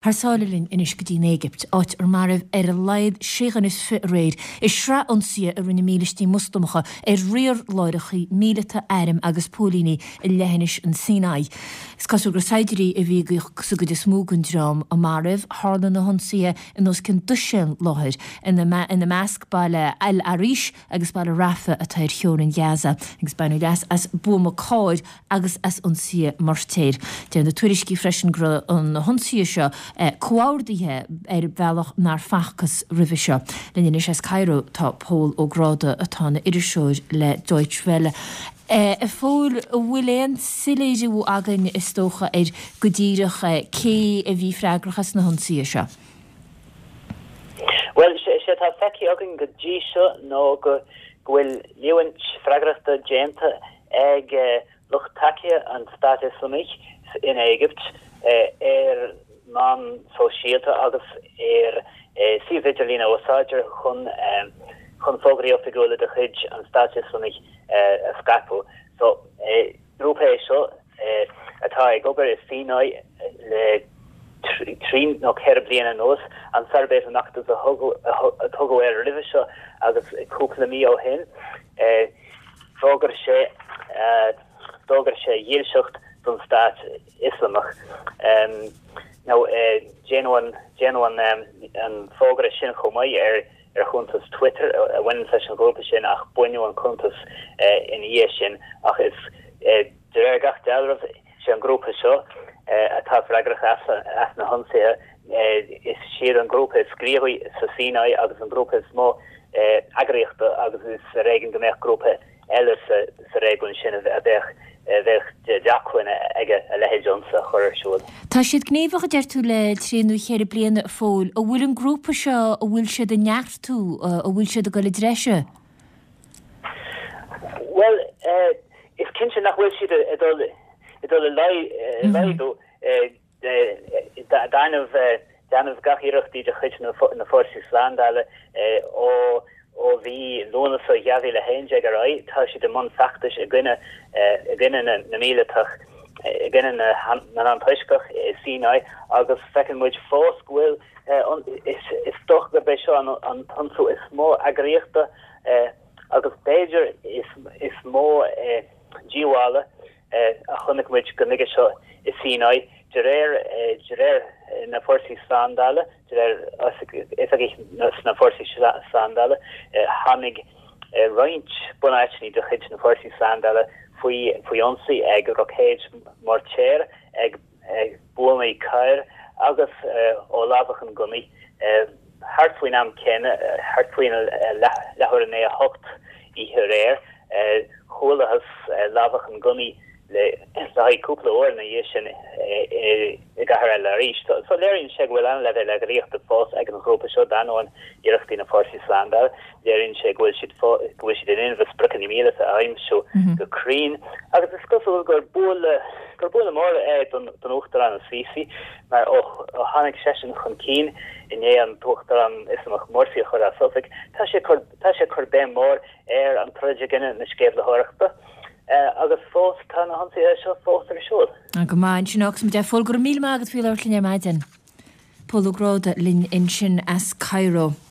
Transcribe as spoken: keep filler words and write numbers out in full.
Thar sáile linn anois go dtí an Éigipt, áit ar maraíodh ar a laghad sé dhuine is fiche aréir i sraith ionsaithe a rinne mílístí Moslamacha ar riar láithreacha míleata, airm agus póilíní i leithinis an Sinai. Is cosúil gur saighdiúirí a bhí sa gcuid is mó den dream a maraíodh. Tharla na hionsaithe in os cionn dosaen láthair, ina measc baile El Arish agus baile Rafah atá ar theorainn Ghaza, agus baineadh leas as buama cairr agus as ionsaithe moirtéir. Deir na tuairiscí freisin go raibh na hionsaithe seo comhordaithe ar bhealach nár facthas roimhe seo. Linn anois as Cairo tá Pól Ó Gráda atá ina iriseoir le Deutsche Welle. A Phóil, an bhfuil aon soiléiriú againn is dócha ar go díreach cé a bhí freagrach as na hionsaithe seo? Bhuel, sé atá feicthe againn go dtí seo ná go bhfuil líomhaint freagrachta déanta ag lucht tacaíochta an Stáit Ioslamaigh in Éigipt ar meáin shóisialta agus ar suíomh idirlín a úsáidtear chun chun fógraí oifigiúla de chuid an Stáit Ioslamaigh a scaipeadh. So grúpa é seo atá ag obair i Sinai le trí nó ceithre bliana anuas, Ansar Beit al-Maqdis a tugadh air roimhe seo agus cúpla mí ó shin d'fhógair sé d'fhógair sé dhílseacht don Stát Ioslamach. Now déanadh déanadh an fógra sin chomh maith ar ar chuntas Twitter a bhaineann leis an ghrúpa sin ach baineadh an cuntas ina dhiaidh sin ach is de réir gach dealraimh sé an grúpa seo atá freagrach as as na hionsaithe is siad an grúpa is gníomhaí sa Sinai agus an grúpa is mó eagraíochta agus is ar éigean go mbeadh grúpa eile sa réigiún sin a bheadh bheadh d'acmhainn aige a leithéid d'ionsaí a chur ar siúl. Tá siad gníomhach a deir tú le trí nó ceithre bliana a Phóil. An bhfuil an grúpa seo an bhfuil siad ag neartú, an bhfuil siad ag dul i dtreise? Bhuel is cinnte nach bhfuil siad ag dul ag dul i laghdú d'ainneoin d'ainneoin gach iarrachtaí de chuid na fórsaí slándála ó ó mhí Lúnasa dhá mhíle a haon déag ar aghaidh, tá siad i mbun feachtais i gcoinne i gcoinne na na míleatach i gcoinne na na n-antoisceach i Sinai agus feiceann muid fós go bhfuil is is dócha gurb é seo an an t-ionsaí is mó eagraíochta agus b'fhéidir is is mó díobhála a chonaic muid go nuige seo i Sinai de réir de réir na fórsaí slándála de réir oifigigh sna fórsaí slándála tháinig roinnt bunáiteanna de chuid na fórsaí slándála faoi faoi ionsaí ag roicéid moirtéir ag ag buamaí cairr agus ó lámhachan gunnaí thart faoin am céanna thart faoin leathuair i ndiaidh a hocht oíche aréir chualathas lámhachan gunnaí le haghaidh cúpla uair ina dhiaidh sin i gcathair El Arish. So léiríonn sé go bhfuil an-leibhéal eagraíochta fós ag an ghrúpa seo d'ainneoin iarrachtaí na fórsaí slándála, léiríonn sé go bhfuil siad go bhfuil siad in inmhe spriocanna míleata a aimsiú go cruinn agus is cosúil gur buille gur buille mór é don don Uachtarán Sisi mar ó ó tháinig seisean chun cinn i ndiaidh an tUachtarán Ioslamach Morsi a chur as oifig, tá sé cur tá sé cur béim mór ar an troid i gcoinne na sceimhlitheoireachta. agus fós tá na hionsaithe seo fós ar siúl. Go maith ansin agus muid Pól go raibh míle maith agat faoi labhairt linn ar maidin. Pól Ó Gráda linn ansin as Cairo.